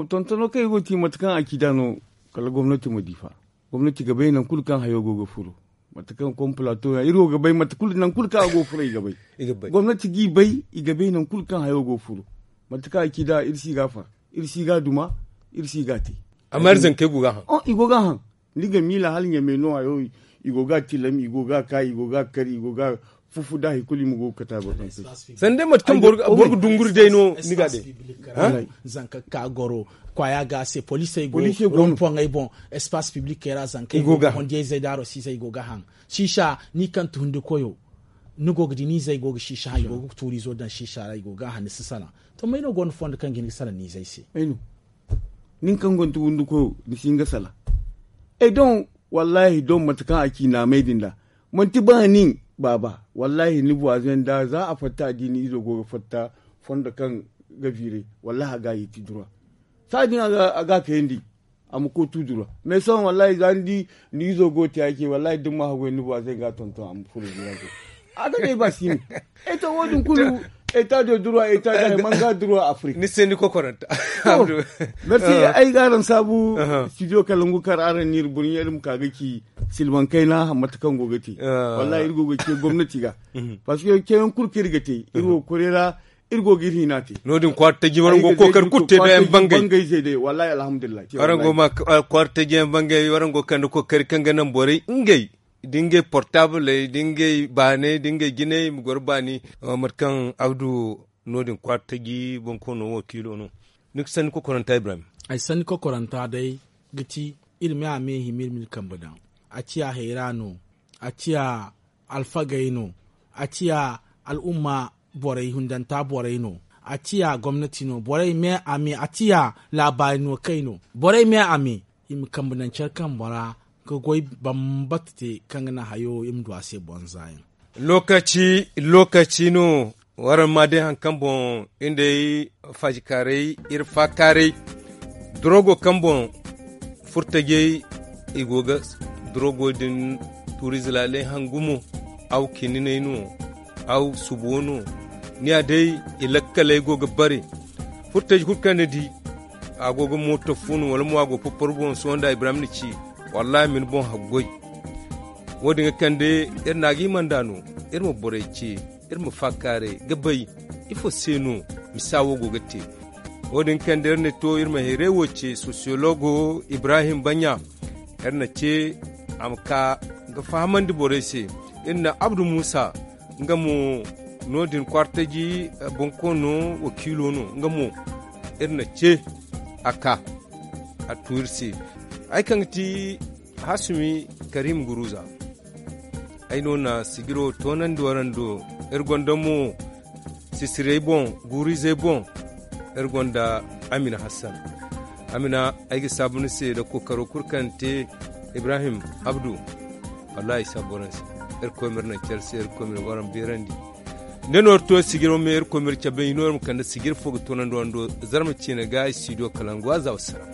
Tontono kaŋ ay go ga ci mate kaŋ ay ci nd'a no, kala gomnati ma di fa. Gomnati ga bay nangu kulu kaŋ hayo go ga furo. Mate kaŋ kom plato yaŋ iri wo ga bay mate kulu nangu kulu kaŋ a go ga furo i ga bay. Gomnati g'i bay i ga bay nangu kulu kaŋ hayo go ga furo. Mate kaŋ ay ci nd'a iri si ga a far, iri si ga a duma, iri si ga a te. Amma iri zankey go ga a haŋ. Ni ga miila hala ɲamey no hayo, i go ga a tilam i go ga a ka i go ga a kar i go ga a fufu da hari kulu i ma go ga kate a boro kaŋ se. Sanda day mate kaŋ boro ga dunguri day no ni ga day. Zanka ga ka goro kwaaya ga se poliisey go, rompoŋey boŋ, espace public ra zankey go ga hondiyayzey da arosizey i go ga haŋ. Siisa ni kaŋ ti hundi koyo, ni go ga di ni izey go ga siisa haŋ i go ga tuuriizo daŋ siisa ra i go ga haŋ ni si salaŋ. To may no go no fondo kaŋ ga hin ga salaŋ ni izey se? Nin kaŋ gonda wundu koyo ni si hin ga salaŋ. Ay doŋ, wallahi doŋ mate kaŋ a ci naamay din da. Manti ba nin baaba, wallahi ni buwazo yaŋ da za a fatta a di ni izo go ga fatta fondo kaŋ ga viire, wallahi a ga a yeeti dura. Saadin a ga a kayandi, a ma koy tu dura. Mais sohõ wallahi za ni di ni izo go ga te a ce wallahi da ni ma haggoy ni buwazo yaŋ ga a tonton a ma furo dura se. A ga day ba si no. Ay to wo- din kulu, eta de droit eta de manga droit afrik. Ni se ni kokoranta. Merci. Ay ga araŋ saabu. Studio kalangu kar araŋ n'iri burɲe iri ma ka ga ci silban kayna mate kaŋ go ga te. Wallahi iri go ga ce gomnati ga. Parce que ceyaŋ kulu kaŋ iri ga te iri wo ga koray ra. Iri go ga iri hina te. No- din kwaara taji waraŋ go ga kookari kulu te da yaŋ bangay. Wallahi alhamdulillahi. Waraŋ go ma kwaara taji yaŋ bangay waraŋ go ga kande kookari kaŋ ga naŋ borey ngey da ngey portabley da ngey baanay da ngey jinay i ma goro baani. Mate kaŋ abdu no- din kwaara taji boŋ koono wakiilo no. Ni ga sanni kokoranta ibrahim. Ay sanni kokoranta day ga ti iri me a me hima iri ma iri kambe daŋ. A ciya hayra no. A ciya alfagey no. A ciya al'umma borey hundanta borey no. A ciya gomnati no borey me a me a ciya laabaari no kay no. Borey me a me i ma kambe naŋ care kambe ra ga goy bambata te kaŋ ga naŋ hayo iri ma du a se bonza yaŋ. Lokaci lokaci no. Waraŋ ma day hari kaŋ boŋ iri day faajikaaray iri faakaaray. Dorogo kaŋ boŋ furtajey i go ga dorogo din tuuri zilaaley hangu mo, aw kininay no, aw subo no. Ni ya day i lakkaley go ga bare. Furtaji kulu kaŋ ni di a go ga mooto fu no wala mo a go ga popor boŋ sohõ nda ibrahim na ci. Wallahi ma ni boŋ haggoy. Wo- din ga kande iri na a ga hima nd'a no. Iri ma borey ce, iri ma faakaaray ga bay ifo se no misa wo go ga te. Wo- din ga kande iri na to iri ma hayray wo ce sosiyologo ibrahim baɲa. Iri na ce a ma ka ga fahamandi borey se. Iri na abdu muusa nga mo no- din kwaartaji bonkoono wakiilo no nga mo. Iri na ce a ka a tu iri se. Hari kaŋ ga ti hasumi karim guruza. Ay no na sijiro toonandi warando. Iri gonda mo sisirey boŋ guurizey boŋ. Iri gonda amina hassan. Amina, ay ga saabu ni se nda kookaro kulu kaŋ ni te. Ibrahim abdu, wallahi ay si a boŋ araŋ se. Iri koy ma iri naŋ care se iri koy ma iri waraŋ beerandi. Nda no iri to sijiro me iri koy ma iri cabe hino iri ma kande sijiri fo ga toonandi warando. Zarma ciine ga ay studio kalangu a za wassara.